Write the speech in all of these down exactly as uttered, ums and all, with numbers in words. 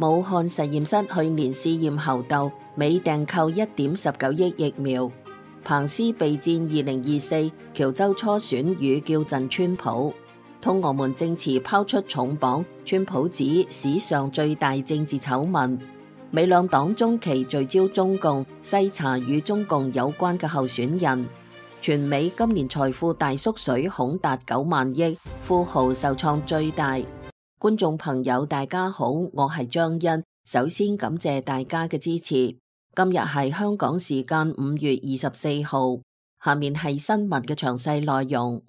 武漢實驗室去年試驗猴痘，美訂購一點十九億疫苗。彭斯備戰二零二四喬州初選與叫陣川普。通俄門證詞拋出重磅，川普指史上最大政治醜聞。美兩黨中期聚焦中共，篩查與中共有關嘅候選人。全美今年財富大縮水恐達九萬億，富豪受創最大。觀眾朋友大家好，我係張欣，首先感謝大家嘅支持。今日係香港時間五月二十四號，下面係新聞嘅詳細內容。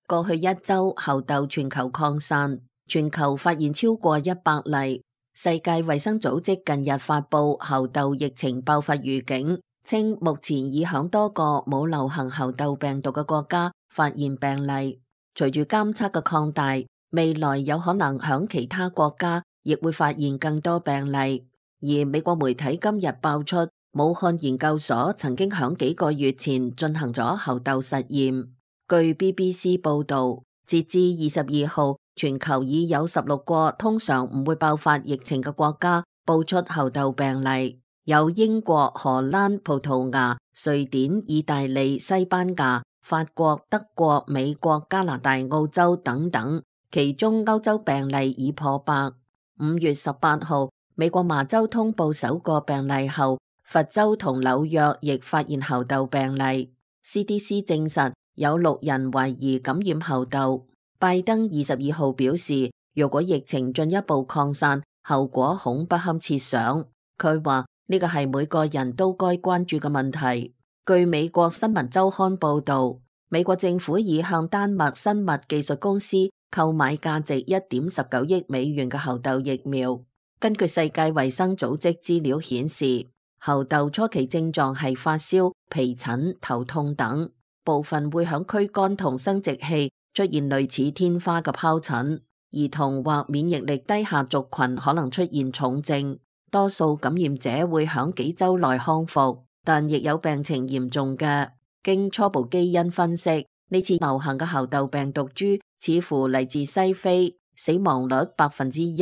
過去一周，猴痘全球擴散，全球發現超過一百例。世界衛生組織近日發布猴痘疫情爆發預警，稱目前已響多個冇流行猴痘病毒嘅國家發現病例。隨住監測嘅擴大，未來有可能響其他國家亦會發現更多病例。而美國媒體今日爆出，武漢研究所曾經響幾個月前進行咗猴痘實驗。據 B B C 報道，截至二十二號，全球已有十六個通常唔會爆發疫情嘅國家報出猴痘病例，有英國、荷蘭、葡萄牙、瑞典、意大利、西班牙、法國、德國、美國、加拿大、澳洲等等，其中歐洲病例已破百。五月十八號，美國麻州通報首個病例後，佛州同紐約亦發現猴痘病例。C D C 證實有六人懷疑感染猴痘。拜登二十二號表示，如果疫情進一步擴散，後果恐不堪設想。佢話呢個係每個人都該關注嘅問題。據美國新聞週刊報道，美國政府已向丹麥生物技術公司購買價值一點十九億美元嘅猴痘疫苗。根據世界衛生組織資料顯示，猴痘初期症狀係發燒、皮疹、頭痛等，部分會響軀幹同生殖器出現類似天花嘅疱疹。兒童或免疫力低下族群可能出現重症，多數感染者會響幾周內康復，但亦有病情嚴重嘅。經初步基因分析，呢次流行嘅猴痘病毒株似乎嚟自西非，死亡率百分之一。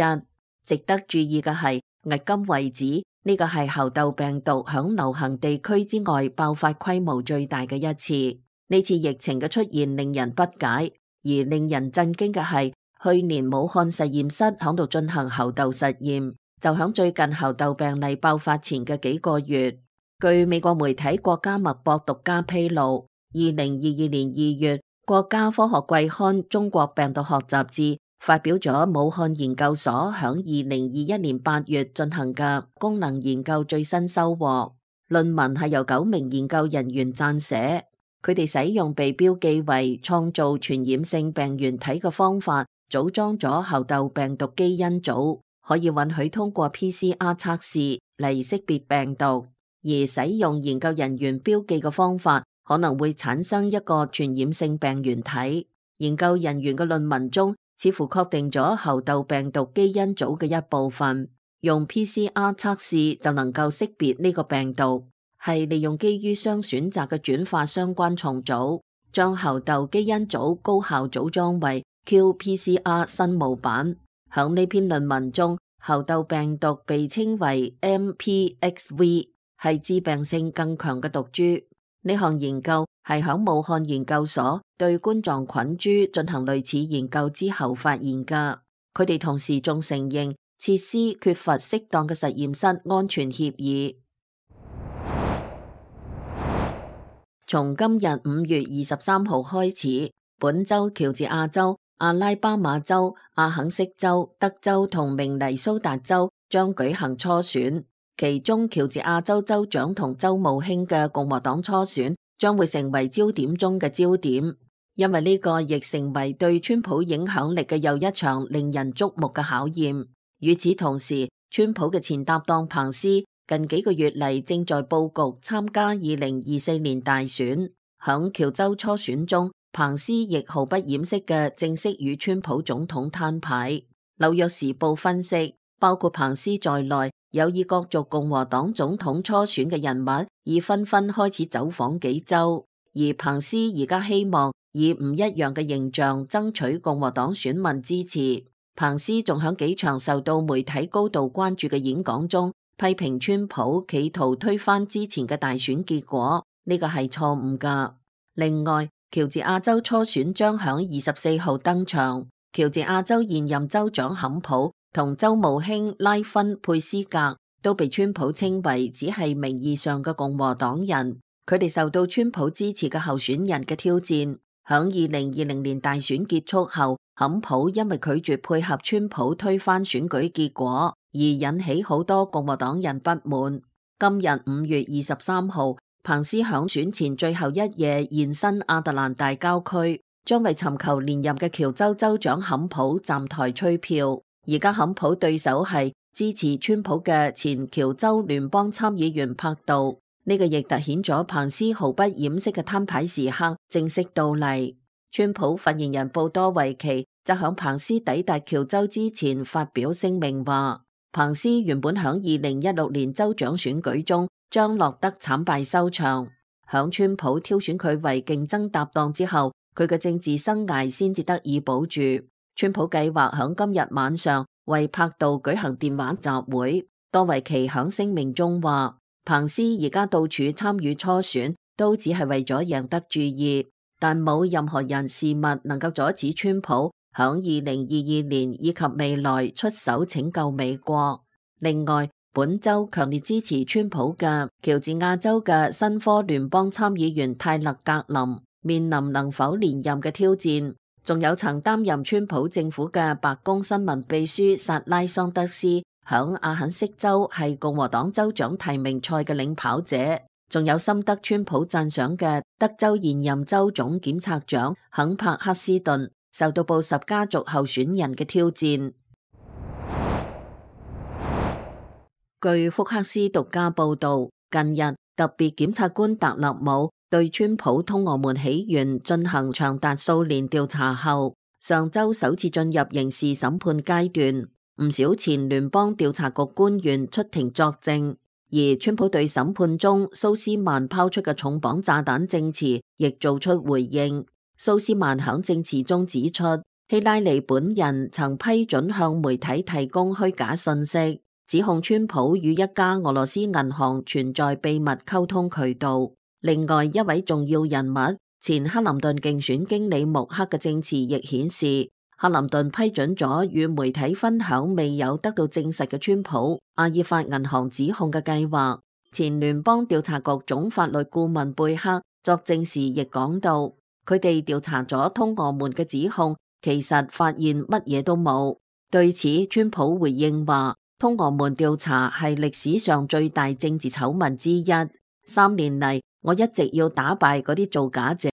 值得注意嘅係，迄今為止呢個係猴痘病毒響流行地區之外爆發規模最大嘅一次。呢次疫情嘅出現令人不解，而令人震驚嘅係，去年武漢實驗室響度進行猴痘實驗，就響最近猴痘病例爆發前嘅幾個月。據美國媒體國家脈搏獨家披露，二零二二年二月，國家科學季刊《中國病毒學雜誌》發表咗武漢研究所響二零二一年八月進行嘅功能研究最新收穫。論文係由九名研究人員撰寫，佢哋使用被標記為創造傳染性病原體嘅方法，組裝咗猴痘病毒基因組，可以允許通過 P C R 測試嚟識別病毒。而使用研究人員標記嘅方法，可能會產生一個傳染性病原體。研究人員嘅論文中，似乎確定咗猴痘病毒基因組嘅一部分，用 P C R 測試就能夠識別呢個病毒，係利用基於雙選擇嘅轉化相關重組，將猴痘基因組高效組裝為 Q P C R 新模板。響呢篇論文中，猴痘病毒被稱為 M P X V。係致病性更強嘅毒株。呢項研究係響武漢研究所對冠狀菌株進行類似研究之後發現噶。佢哋同時仲承認設施缺乏適當嘅實驗室安全協議。從今日五月二十三號開始，本州喬治亞州、阿拉巴馬州、阿肯色州、德州同明尼蘇達州將舉行初選。其中喬治亞州州長同州務卿嘅共和黨初選將會成為焦點中嘅焦點，因為呢個亦成為對川普影響力嘅又一場令人矚目嘅考驗。與此同時，川普嘅前搭檔彭斯近幾個月嚟正在布局參加二零二四年大選。響喬州初選中，彭斯亦毫不掩飾嘅正式與川普總統攤牌。紐約時報分析，包括彭斯在內，有意角逐共和黨總統初選嘅人物已紛紛開始走訪幾州，而彭斯而家希望以唔一樣嘅形象爭取共和黨選民支持。彭斯仲響幾場受到媒體高度關注嘅演講中，批評川普企圖推翻之前嘅大選結果，呢個係錯誤㗎。另外，喬治亞州初選將響二十四號登場，喬治亞州現任州長坎普同州務卿拉芬佩斯格都被川普稱為只係名義上嘅共和黨人，佢哋受到川普支持嘅候選人嘅挑戰。響二零二零年大選結束後，坎普因為拒絕配合川普推翻選舉結果，而引起好多共和黨人不滿。今日五月二十三號，彭斯響選前最後一夜現身亞特蘭大郊區，將為尋求連任嘅喬州州長坎普站台催票。而家坎普對手係支持川普嘅前喬州聯邦參議員柏杜。呢個亦凸顯咗彭斯毫不掩飾嘅攤牌時刻正式到嚟。川普發言人布多維奇就響彭斯抵達喬州之前發表聲明話，彭斯原本響二零一六年州長選舉中將落得慘敗收場，響川普挑選佢為競爭搭檔之後，佢嘅政治生涯先至得以保住。川普計劃響今日晚上為柏杜舉行電話集會。多維奇響聲明中話，彭斯而家到處參與初選，都只係為咗贏得注意，但冇任何人事物能夠阻止川普響二零二二年以及未來出手拯救美國。另外，本周強烈支持川普嘅喬治亞州嘅新科聯邦參議員泰勒格林面臨能否連任嘅挑戰，仲有曾擔任川普政府嘅白宮新聞秘書薩拉桑德斯，響阿肯色州係共和黨州長提名賽嘅領跑者，仲有深得川普讚賞嘅德州現任州總檢察長肯柏克斯頓，受到布什家族候選人嘅挑戰。據福克斯獨家報道，近日特別檢察官特勒姆對川普通俄門起源進行長達數年調查後，上周首次進入刑事審判階段。唔少前聯邦調查局官員出庭作證，而川普對審判中蘇斯曼拋出嘅重磅炸彈證詞亦做出回應。蘇斯曼響證詞中指出，希拉里本人曾批准向媒體提供虛假信息，指控川普與一家俄羅斯銀行存在秘密溝通渠道。另外一位重要人物，前克林頓競選經理穆克嘅證詞亦顯示，克林頓批准咗與媒體分享未有得到證實嘅川普阿爾法銀行指控嘅計劃。前聯邦調查局總法律顧問貝克作證時亦講到，佢哋調查咗通俄門嘅指控，其實發現乜嘢都冇。對此，川普回應話，通俄門調查係歷史上最大政治醜聞之一。三年嚟，我一直要打敗嗰啲造假者，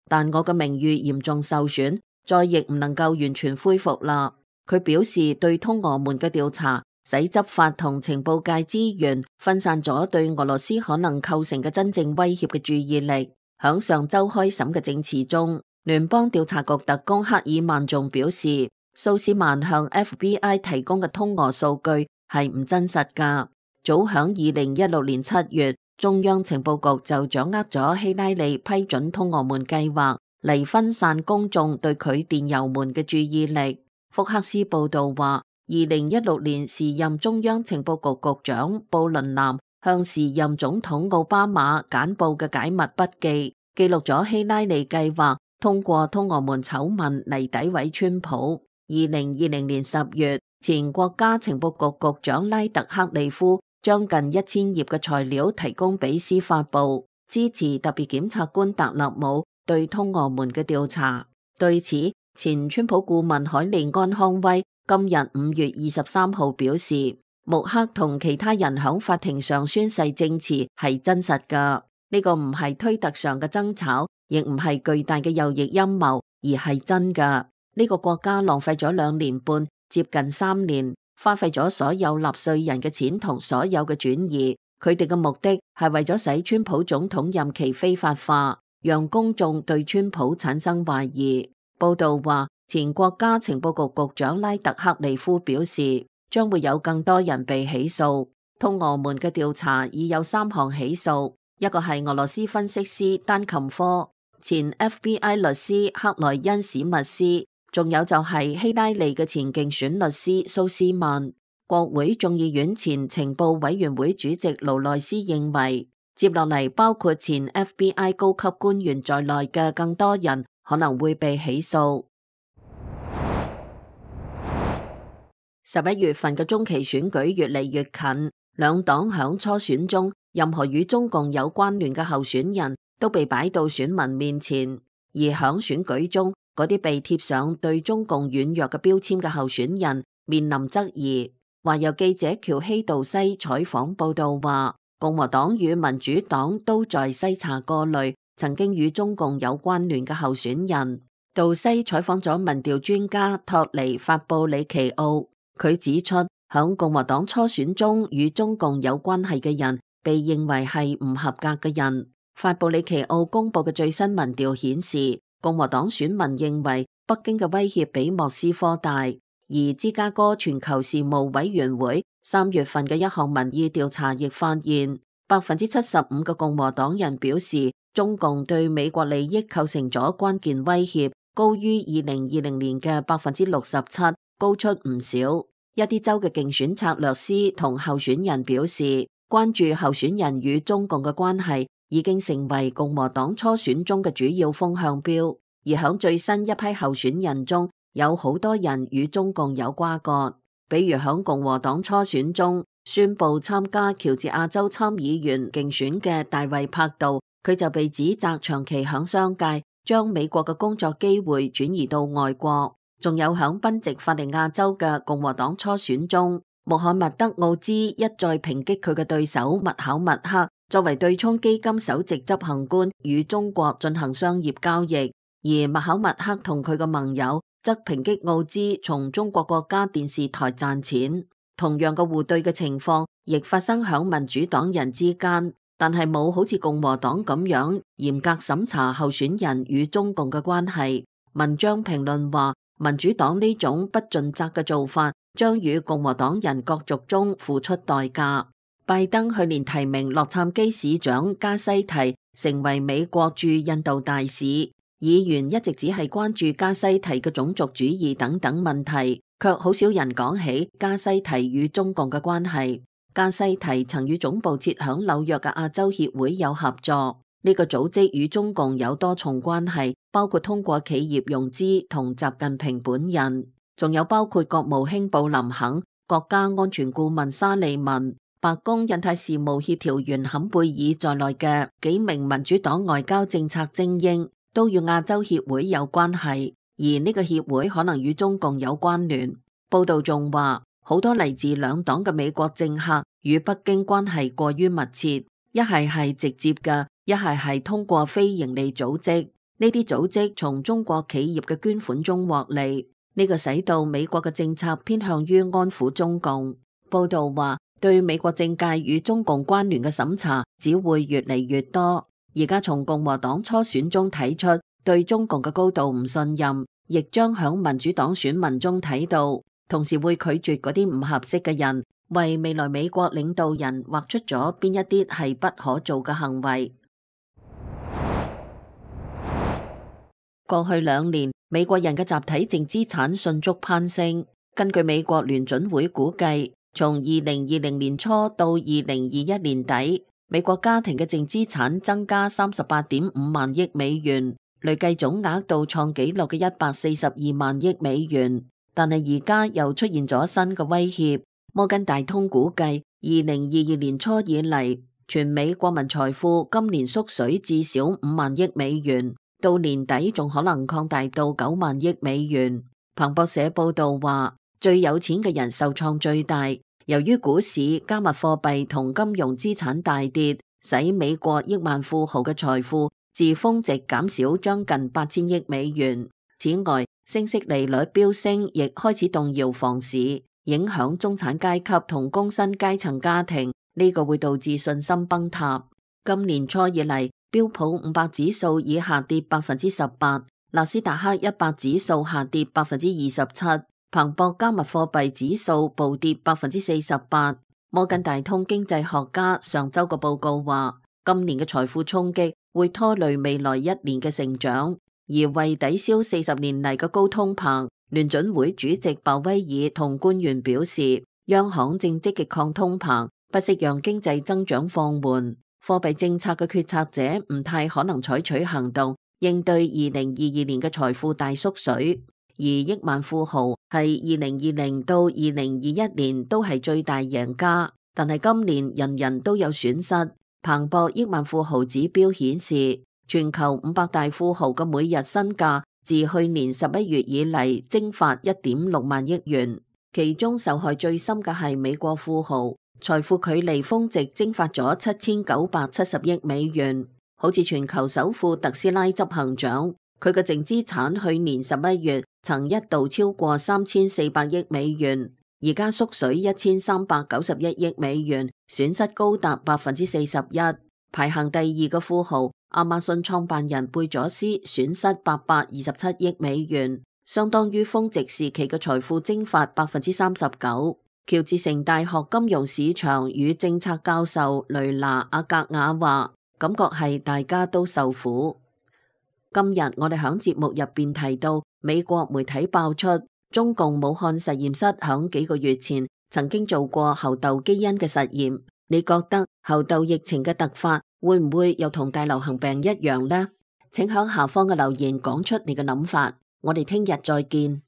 但我嘅名譽嚴重受損，再亦唔能夠完全恢復啦。佢表示對通俄門嘅調查，使執法同情報界資源分散咗對俄羅斯可能構成嘅真正威脅嘅注意力。響上周開審嘅證詞中，聯邦調查局特工克爾曼仲表示，蘇斯曼向 F B I 提供嘅通俄數據係唔真實噶。早響二零一六年七月，中央情報局就掌握咗希拉里批准通俄門計劃，嚟分散公眾對佢電郵門嘅注意力。福克斯報道話，二零一六年時任中央情報局局長布倫南向時任總統奧巴馬簡報嘅解密筆記，記錄咗希拉里計劃通過通俄門醜聞嚟詆毀川普。二零二零年十月，前國家情報局局長拉特克利夫將近一千頁嘅材料提供俾司法部，支持特別檢察官特勒姆對通俄門嘅調查。對此，前川普顧問海利安康威今日五月二十三號表示，穆克同其他人響法庭上宣誓證詞係真實噶，呢個唔係推特上嘅爭吵，亦唔係巨大嘅右翼陰謀，而係真噶。呢個國家浪費咗兩年半，接近三年，花費咗所有納稅人嘅錢同所有嘅轉移，佢哋嘅目的係為咗使川普總統任期非法化，讓公眾對川普產生懷疑。報道話，前國家情報局局長拉特克利夫表示，將會有更多人被起訴。通俄門嘅調查已有三項起訴，一個係俄羅斯分析師丹琴科，前 F B I 律師克萊恩史密斯，仲有就係希拉里嘅前競選律師蘇斯曼。國會眾議院前情報委員會主席勞內斯認為，接落嚟包括前 F B I 高級官員在內嘅更多人可能會被起訴。十一月份嘅中期選舉越嚟越近，兩黨響初選中，任何與中共有關聯嘅候選人都被擺到選民面前，而響選舉中，嗰啲被貼上對中共軟弱嘅標籤嘅候選人面臨質疑。話有記者喬希道西採訪報道話，共和黨與民主黨都在篩查過濾曾經與中共有關聯嘅候選人。道西採訪咗民調專家托尼法布里奇奧，佢指出響共和黨初選中與中共有關係嘅人被認為係唔合格嘅人。法布里奇奧公布嘅最新民調顯示，共和黨選民認為北京嘅威脅比莫斯科大。而芝加哥全球事務委員會三月份嘅一項民意調查亦發現，百分之七十五嘅共和黨人表示中共對美國利益構成咗關鍵威脅，高於二零二零年嘅百分之六十七，高出唔少。一啲州嘅競選策略師同候選人表示，關注候選人與中共嘅關係已經成為共和黨初選中嘅主要風向標，而響最新一批候選人中，有好多人與中共有瓜葛，比如響共和黨初選中宣布參加喬治亞州參議員競選嘅大衛柏杜，佢就被指責長期響商界將美國嘅工作機會轉移到外國。仲有響賓夕法尼亞州嘅共和黨初選中，穆罕默德奧茲一再抨擊佢嘅對手麥考默克作為對沖基金首席執行官與中國進行商業交易，而麥考默克同佢嘅盟友則抨擊奧茲從中國國家電視台賺錢。同樣嘅互對嘅情況亦發生響民主黨人之間，但係冇好似共和黨咁樣嚴格審查候選人與中共嘅關係。文章評論話，民主黨呢種不盡責嘅做法將與共和黨人角逐中付出代價。拜登去年提名洛杉磯市長加西提成為美國駐印度大使，議員一直只係關注加西提嘅種族主義等等問題，卻好少人講起加西提與中共嘅關係。加西提曾與總部設響紐約嘅亞洲協會有合作，呢個組織與中共有多重關係，包括通過企業融資同習近平本人，仲有包括國務卿布林肯、國家安全顧問沙利文、白宮印太事務協調員坎貝爾在內嘅幾名民主黨外交政策精英都與亞洲協會有關係，而呢個協會可能與中共有關聯。報道仲話，好多嚟自兩黨嘅美國政客與北京關係過於密切，一係係直接嘅，一係係通過非營利組織。呢啲組織從中國企業嘅捐款中獲利，呢個使到美國嘅政策偏向於安撫中共。報道話，對美國政界與中共關聯嘅審查只會越嚟越多。而家從共和黨初選中睇出對中共嘅高度唔信任，亦將響民主黨選民中睇到，同時會拒絕嗰啲唔合適嘅人，為未來美國領導人畫出咗邊一啲係不可做嘅行為。過去兩年，美國人嘅集體淨資產迅速攀升。根據美國聯準會估計，從二零二零年初到二零二一年底，美國家庭嘅淨資產增加三十八點五萬億美元，累計總額到創紀錄嘅一百四十二萬億美元。但係而家又出現咗新嘅威脅。摩根大通估計，二零二二年初以嚟，全美國民財富今年縮水至少五萬億美元，到年底仲可能擴大到九萬億美元。彭博社報道話，最有錢嘅人受創最大，由於股市、加密貨幣同金融資產大跌，使美國億萬富豪嘅財富自峰值減少將近八千億美元。此外，升息利率飆升亦開始動搖房市，影響中產階級同工薪階層家庭，呢個會導致信心崩塌。今年初以嚟，標普五百指數已下跌百分之十八，納斯達克一百指數下跌百分之二十七，彭博加密貨幣指數暴跌百分之四十八。摩根大通經濟學家上周個報告話，今年嘅財富衝擊會拖累未來一年嘅成長。而為抵消四十年嚟嘅高通膨，聯準會主席鮑威爾同官員表示，央行正積極抗通膨，不惜讓經濟增長放緩。貨幣政策嘅決策者唔太可能採取行動應對二零二二年嘅財富大縮水，而億萬富豪係二零二零到二零二一年都係最大贏家，但係今年人人都有損失。彭博億萬富豪指標顯示，全球五百大富豪嘅每日身價自去年十一月以嚟蒸發一點六萬億元，其中受害最深嘅係美國富豪，財富距離峰值蒸發咗七千九百七十億美元。好似全球首富特斯拉執行長，佢嘅淨資產去年十一月曾一度超過三千四百億美元，而家縮水一千三百九十一億美元，損失高達百分之四十一。排行第二嘅富豪亞馬遜創辦人貝佐斯損失八百二十七億美元，相當於峰值時期嘅財富蒸發百分之三十九。喬治城大學金融市場與政策教授雷拿阿格雅話，感覺係大家都受苦。今日我哋響節目入邊提到，美國媒體爆出中共武漢實驗室響幾個月前曾經做過猴痘基因嘅實驗。你覺得猴痘疫情嘅突發會唔會又同大流行病一樣呢？請響下方嘅留言講出你嘅諗法。我哋聽日再見。